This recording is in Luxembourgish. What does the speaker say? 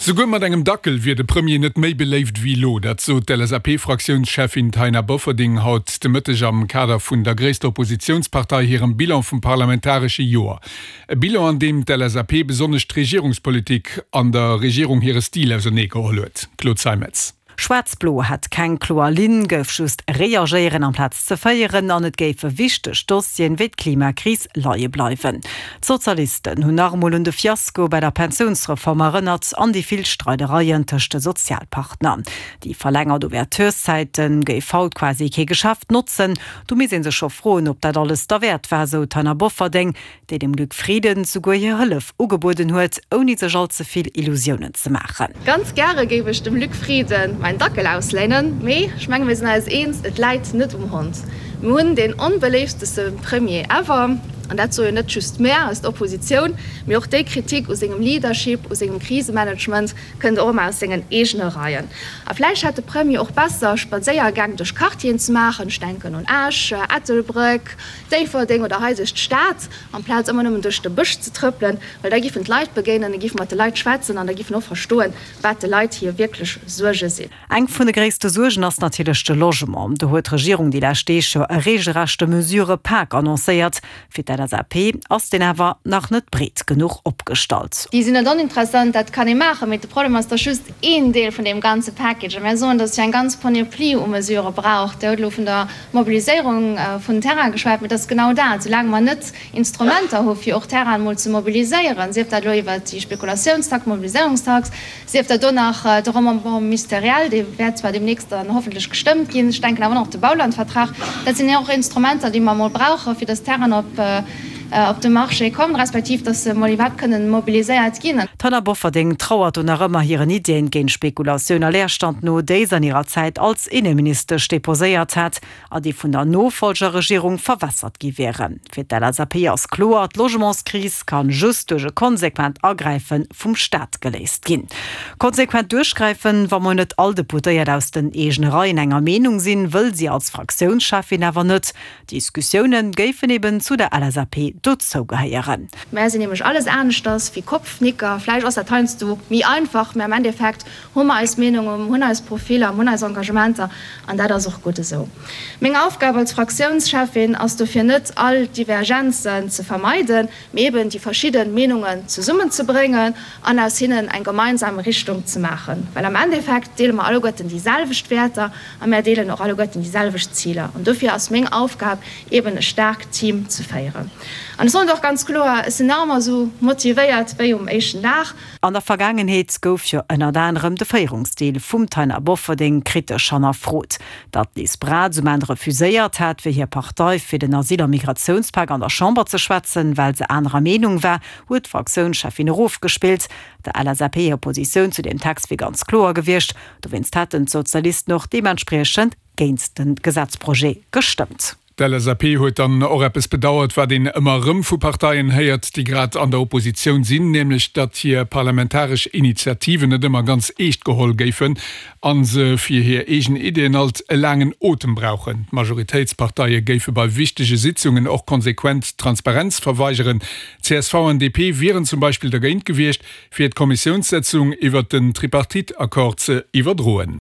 Souguer mat engem Dackel wier de Premier net méi beléift wéi elo. Dat sot d'LSAP-Fraktiounscheffin Taina Bofferding haut de Mëtteg am Kader vun der gréisster Oppositiounspartei hirem Bilan vum parlamentaresche Joer. E Bilan, an deem d'LSAP besonnesch d'Regierungspolitik an der Regierung hire Stil auserneegeholl huet. Claude Zeimetz. Schwaarz-Blo hätt keng kloer Linn, gouf just reagéieren amplaz ze féieren an et géife wichteg Dossieren wéi d'Klimakris leie bleiwen. D'Sozialisten hunn nach emol un de Fiasko bei der Pensiounsreform erënnert an déi vill Streidereien tëscht de Sozialpartner. Déi verlängert Ouvertureszäite géif haut quasi kee Geschäft notzen. Do misst ee sech scho froen, ob dat alles derwäert war, sou d'Taina Bofferding. déi dem Luc Frieden souguer hir Hëllef ugebueden huet, ouni sech all ze vill Illusiounen ze maachen. Ganz gäre géif ech dem Luc Frieden mäin Dackel ausléinen, mee ech menge mir sinn eis eens, et läit net um Hond. Mir hunn deen onbeléifteste Premier ever, an dat soe jo net just mär aus der Oppositioun, mee och déi Kritik u sengem Leadership, u sengem Krisemanagement kënnt och ëmmer aus sengen eegene Reien. A vläicht hätt de Premier och besser, Spadséiergäng duerch Quartieren ze maachen, ech denken un Esch, Ettelbréck, Déifferdeng oder hei duerch d'Stad, amplaz ëmmer nëmmen duerch de Bësch ze trëppelen, well da giffen d'Leit begéinen, da giffe mat de Leit schwätzen an da giffen och verstoen, wat de Leit hir wierklech Suerge sinn. Eng vun de gréisste Suergen ass natierlech de Logement. Do huet d'Regierung déi lescht Deeg jo e reegelrechte Mesurëpak annoncéiert. Fir d'LSAP ass deen awer nach net breet genuch opgestallt. Déi sinn net oninteressant, dat kann ee maachen, mee de Problem ass, et ass just een Deel vun deem ganze Package. A mär soen, datt et jo eng ganz Panoplie u Mesurë brauch. Dir hutt elo vun der Mobiliséierung vun Terrain geschwat, mee et ass genau dat, soulaang mer net Instrumenter hu fir och Terrainen emol ze mobiliséieren, sief dat elo iwwert déi Spekulatiounstax, Mobiliséierungstax, sief dat do nach de Remembrement ministériel, dee wäert zwar deemnächst dann hoffentlech gestëmmt ginn, ech denken awer och nach de Baulandvertrag, dat sinn och Instrumenter, déi mer emol brauchen, fir dass Terrainen op op de Marché kommen, respektiv dass se emol iwwerhaapt kënnen mobiliséiert ginn. D'Hanna Bofferding trauert do nach ëmmer hiren Iddien géint Spekulatioun a Leerstand no, déi se an hirer Zäit als Inneministesch deposéiert hat a déi vun der Nofolgerregierung verwässert gi wieren. Fir d'LSAP ass kloer, D'Logementskris kann just duerch e konsequent Agräife vum Staat geléist ginn. Konsequent duerchgräifen, wa mol net all Deputéiert aus den eegene Reien enger Meenung sinn, wëll si als Fraktiounscheffin awer net. Diskussioune géifen eben zu der LSAP dozou gehéieren. Mär sinn nämlech alles aneschters wéi Kopfnicker. Vläicht ass dat heiansdo méi einfach, mä am Endeffekt hu mer eis Meenungen, hunn eis Profiller, hunn eis Engagementer an dat ass och gutt esou. Meng Aufgab als Fraktiounscheffin ass dofir net, all Divergenzen ze vermeiden, mee eben déi verschidde Meenungen zesummenzebréngen an aus hinnen eng gemeinsam Richtung ze maachen. Well am Endeffekt deele mer alleguerten déi selwecht Wäerter A mär deelen och alleguerten déi selwecht Ziler. An dofir ass meng Aufgab eben e staarkt Team ze féieren. An ech soen et och ganz kloer, ech sinn nach ëmmer esou motivéiert wéi um éischten Dag. An der Vergaangenheet gouf jo ënnert anerem de Féierungsstil vum Taina Bofferding kritesch hannerfrot. Datt d'Liz Braz um Enn refuséiert hat, fir hir Partei fir den Asyl a Migratiounspak an der Chamber ze schwätzen, well se anerer Meenung war, huet d'Fraktiounscheffin erofgespillt. Der LSAP hir Positioun zu deem Text wier ganz kloer gewiescht, Dowéinst hätten d'Sozialisten och deementspriechend géint de Gesetzprojet gestëmmt. D'LSAP huet dann och eppes bedauert, wat een ëmmer erëm vu Parteien héiert, déi grad an der Oppositioun sinn, nämlech datt hir parlamentaresch Initiativen net ëmmer ganz eescht geholl géifen a se fir hir eegen Ideeën alt e laangen Otem brauchen. D'Majoritéitsparteie géife bei wichtege Sitzungen och konsequent d'Transparenz verweigeren. Csv an DP wieren zum Beispill dergéint gewiescht, fir d'Kommissiounssëtzung iwwert den Tripartite-Accord ze iwwerdroen.